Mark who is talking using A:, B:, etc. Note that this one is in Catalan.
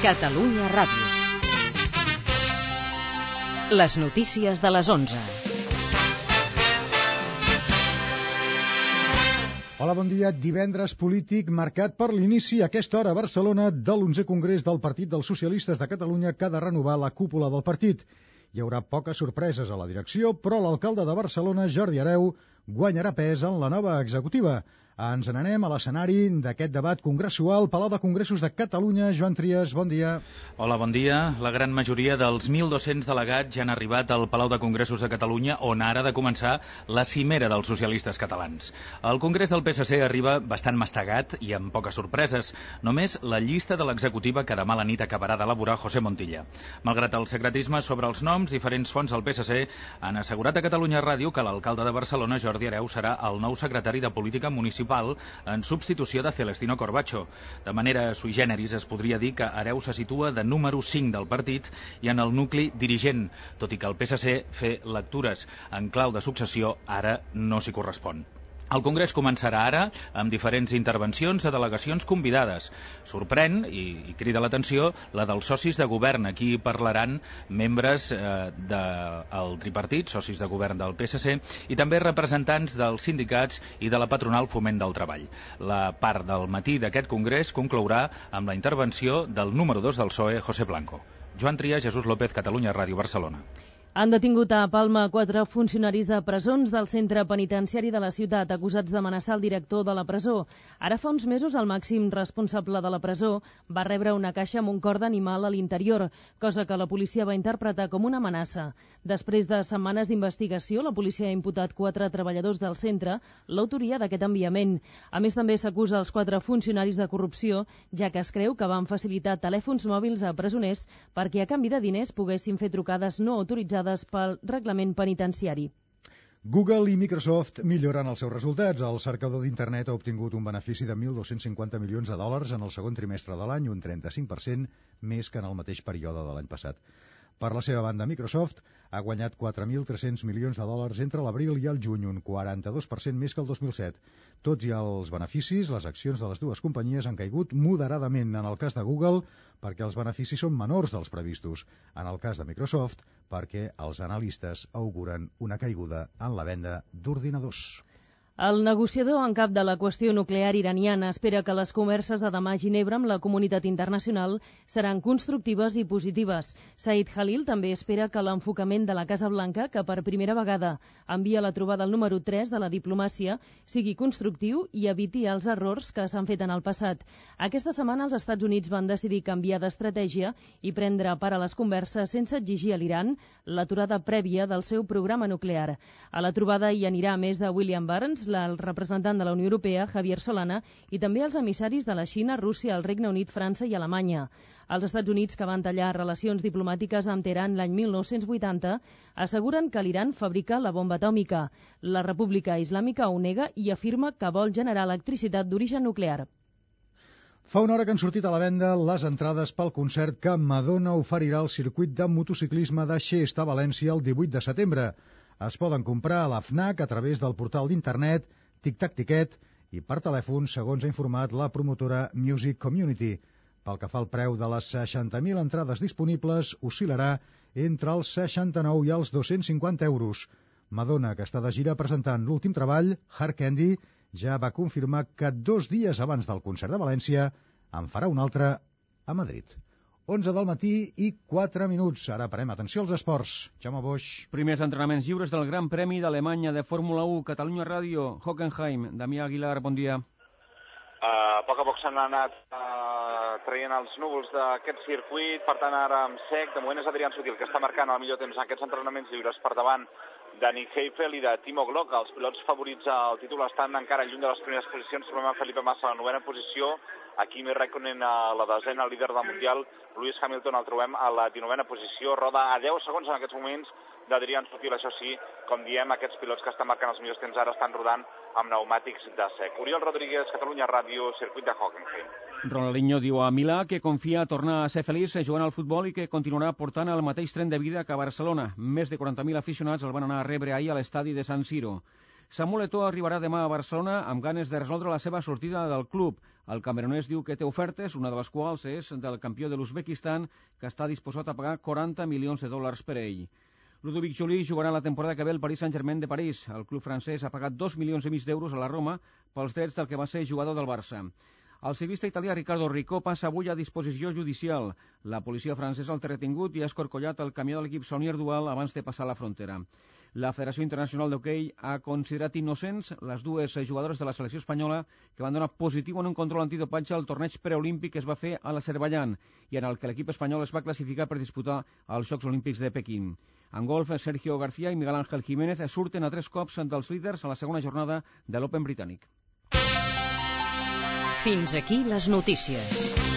A: Catalunya Ràdio. Les notícies de les 11.
B: Hola, bon dia. Divendres polític marcat per l'inici a aquesta hora a Barcelona de l'11è Congrés del Partit dels Socialistes de Catalunya que ha de renovar la cúpula del partit. Hi haurà poques sorpreses a la direcció, però l'alcalde de Barcelona, Jordi Hereu, guanyarà pes en la nova executiva. Ens n'anem a l'escenari d'aquest debat congressual. Palau de Congressos de Catalunya, Joan Trias, bon dia.
C: Hola, bon dia. La gran majoria dels 1.200 delegats ja han arribat al Palau de Congressos de Catalunya, on ara ha de començar la cimera dels socialistes catalans. El Congrés del PSC arriba bastant mastegat i amb poques sorpreses. Només la llista de l'executiva que demà a la nit acabarà d'elaborar José Montilla. Malgrat el secretisme sobre els noms, diferents fonts del PSC han assegurat a Catalunya Ràdio que l'alcalde de Barcelona, Jordi Hereu, serà el nou secretari de Política Municipal en substitució de Celestino Corbacho. De manera sui generis es podria dir que Hereu se situa de número 5 del partit i en el nucli dirigent, tot i que el PSC fer lectures en clau de successió ara no s'hi correspon. El Congrés començarà ara amb diferents intervencions de delegacions convidades. Sorprèn i crida l'atenció la dels socis de govern. Aquí parlaran membres del tripartit, socis de govern del PSC, i també representants dels sindicats i de la patronal Foment del Treball. La part del matí d'aquest Congrés conclourà amb la intervenció del número 2 del PSOE, José Blanco. Joan Trias, Jesús López, Catalunya Ràdio, Barcelona.
D: Han detingut a Palma 4 funcionaris de presons del centre penitenciari de la ciutat, acusats d'amenaçar el director de la presó. Ara fa uns mesos el màxim responsable de la presó va rebre una caixa amb un cor d'animal a l'interior, cosa que la policia va interpretar com una amenaça. Després de setmanes d'investigació, la policia ha imputat 4 treballadors del centre l'autoria d'aquest enviament. A més, també s'acusa els 4 funcionaris de corrupció, ja que es creu que van facilitar telèfons mòbils a presoners perquè a canvi de diners poguessin fer trucades no autoritzades pel reglament penitenciari.
B: Google i Microsoft milloren els seus resultats. El cercador d'internet ha obtingut un benefici de 1.250 milions de dòlars en el segon trimestre de l'any, un 35% més que en el mateix període de l'any passat. Per la seva banda, Microsoft ha guanyat 4.300 milions de dòlars entre l'abril i el juny, un 42% més que el 2007. Tots i els beneficis, les accions de les dues companyies han caigut moderadament. En el cas de Google, perquè els beneficis són menors dels previstos. En el cas de Microsoft, perquè els analistes auguren una caiguda en la venda d'ordinadors.
D: El negociador en cap de la qüestió nuclear iraniana espera que les converses de demà a Ginebra amb la comunitat internacional seran constructives i positives. Said Khalil també espera que l'enfocament de la Casa Blanca, que per primera vegada envia la trobada al número 3 de la diplomàcia, sigui constructiu i eviti els errors que s'han fet en el passat. Aquesta setmana els Estats Units van decidir canviar d'estratègia i prendre part a les converses sense exigir a l'Iran l'aturada prèvia del seu programa nuclear. A la trobada hi anirà, a més de William Burns, el representant de la Unió Europea, Javier Solana, i també els emissaris de la Xina, Rússia, el Regne Unit, França i Alemanya. Els Estats Units, que van tallar relacions diplomàtiques amb Teheran l'any 1980, asseguren que l'Iran fabrica la bomba atòmica. La República Islàmica ho nega i afirma que vol generar electricitat d'origen nuclear.
B: Fa una hora que han sortit a la venda les entrades pel concert que Madonna oferirà al circuit de motociclisme de Xest a València el 18 de setembre. Es poden comprar a la FNAC a través del portal d'internet Tic Tac Ticket i per telèfon, segons ha informat la promotora Music Community. Pel que fa al preu de les 60.000 entrades disponibles, oscil·larà entre els 69 i els 250 euros. Madonna, que està de gira presentant l'últim treball, Hard Candy, ja va confirmar que 2 dies abans del concert de València en farà un altre a Madrid. 11 del matí i 4 minuts. Ara parem atenció als esports. Jaume Boix.
E: Primers entrenaments lliures del Gran Premi d'Alemanya de Fórmula 1, Catalunya Ràdio, Hockenheim. Damià Aguilar, bon dia.
F: A poc s'han anat traient els núvols d'aquest circuit, per tant ara amb sec. De moment és Adrián Sutil, que està marcant el millor temps en aquests entrenaments lliures per davant de Nick Heidfeld i de Timo Glock. Els pilots favorits al títol estan encara lluny de les primeres posicions. Trobem a Felipe Massa a la 9a posició, a Kimi Räikkönen a la 10a, el líder del Mundial. Lewis Hamilton el trobem a la 19a posició, roda a 10 segons en aquests moments d'Adrián Sutil. Això sí, com diem, aquests pilots que estan marcant els millors temps ara estan rodant amb pneumàtics de sec. Oriol Rodríguez, Catalunya Ràdio, circuit de Hockenheim.
E: Ronaldinho diu a Milà que confia a tornar a ser feliç jugant al futbol i que continuarà portant el mateix tren de vida que a Barcelona. Més de 40.000 aficionats el van anar a rebre ahir a l'estadi de San Siro. Samuel Eto'o arribarà demà a Barcelona amb ganes de resoldre la seva sortida del club. El camerunès diu que té ofertes, una de les quals és del campió de l'Uzbekistan, que està disposat a pagar 40 milions de dòlars per ell. Ludovic Joly jugarà la temporada que ve al Paris Saint-Germain de París. El club francès ha pagat 2,5 milions d'euros a la Roma pels drets del que va ser jugador del Barça. El ciclista italià Riccardo Riccò passa avui a disposició judicial. La policia francesa el té retingut i ha escorcollat el camió de l'equip Saunier Dual abans de passar la frontera. La Federació Internacional d'Hoquei ha considerat innocents les dues jugadores de la selecció espanyola que van donar positiu en un control antidopatge al torneig preolímpic que es va fer a l'Azerbaidjan i en el que l'equip espanyol es va classificar per disputar els Jocs Olímpics de Pequín. En golf, Sergio García i Miguel Ángel Jiménez surten a 3 cops dels líders a la segona jornada de l'Open britànic.
A: Fins aquí les notícies.